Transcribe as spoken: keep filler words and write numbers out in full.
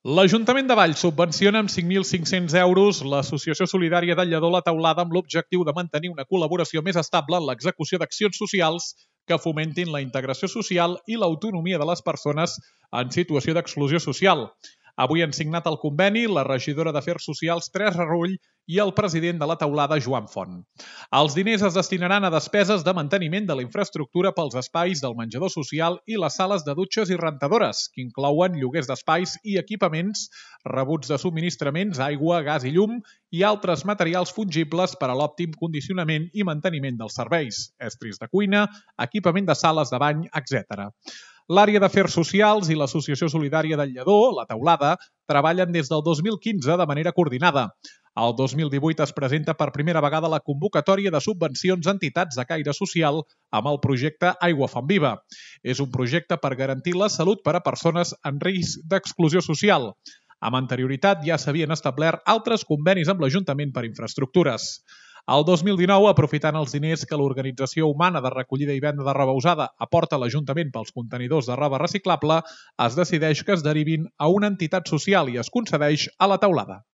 L'Ajuntament de Valls subvenciona amb cinc mil cinc-cents euros l'Associació Solidària del Lledó La Teulada amb l'objectiu de mantenir una col·laboració més estable en l'execució d'accions socials que fomentin la integració social i l'autonomia de les persones en situació d'exclusió social. Avui han signat el conveni la regidora d'Afers Socials Teresa Rull i el president de La Teulada, Joan Font. Els diners es destinaran a despeses de manteniment de la infraestructura pels espais del menjador social i les sales de dutxes i rentadores, que inclouen lloguers d'espais i equipaments, rebuts de subministraments, aigua, gas i llum i altres materials fungibles per a l'òptim condicionament i manteniment dels serveis, estris de cuina, equipament de sales de bany, etcètera. L'àrea d'Afers Socials i l'Associació Solidària del Lledó, La Teulada, treballen des del dos mil quinze de manera coordinada. El dos mil divuit es presenta per primera vegada la convocatòria de subvencions a entitats de caire social amb el projecte Aigua Font Viva. És un projecte per garantir la salut per a persones en risc d'exclusió social. Amb anterioritat ja s'havien establert altres convenis amb l'Ajuntament per infraestructures. El dos mil dinou, aprofitant els diners que l'Organització Humana de Recollida i Venda de Roba Usada aporta a l'Ajuntament pels contenidors de roba reciclable, es decideix que es derivin a una entitat social i es concedeix a La Teulada.